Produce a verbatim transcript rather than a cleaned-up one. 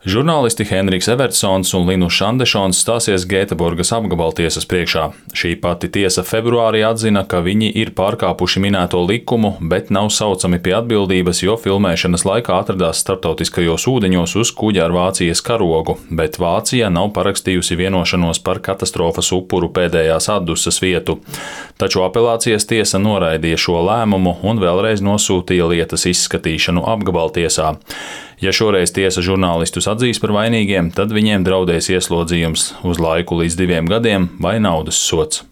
Žurnālisti Henriks Evertsons un Linus Šandešons stāsies Gēteborgas apgabaltiesas priekšā. Šī pati tiesa februārī atzina, ka viņi ir pārkāpuši minēto likumu, bet nav saucami pie atbildības, jo filmēšanas laikā atradās starptautiskajos ūdeņos uz kuģa ar Vācijas karogu, bet Vācija nav parakstījusi vienošanos par katastrofas upuru pēdējās atdusas vietu. Taču apelācijas tiesa noraidīja šo lēmumu un vēlreiz nosūtīja lietas izskatīšanu apgabaltiesā. Ja šoreiz tiesa žurnālistus atzīs par vainīgiem, tad viņiem draudēs ieslodzījums uz laiku līdz diviem gadiem vai naudas sods.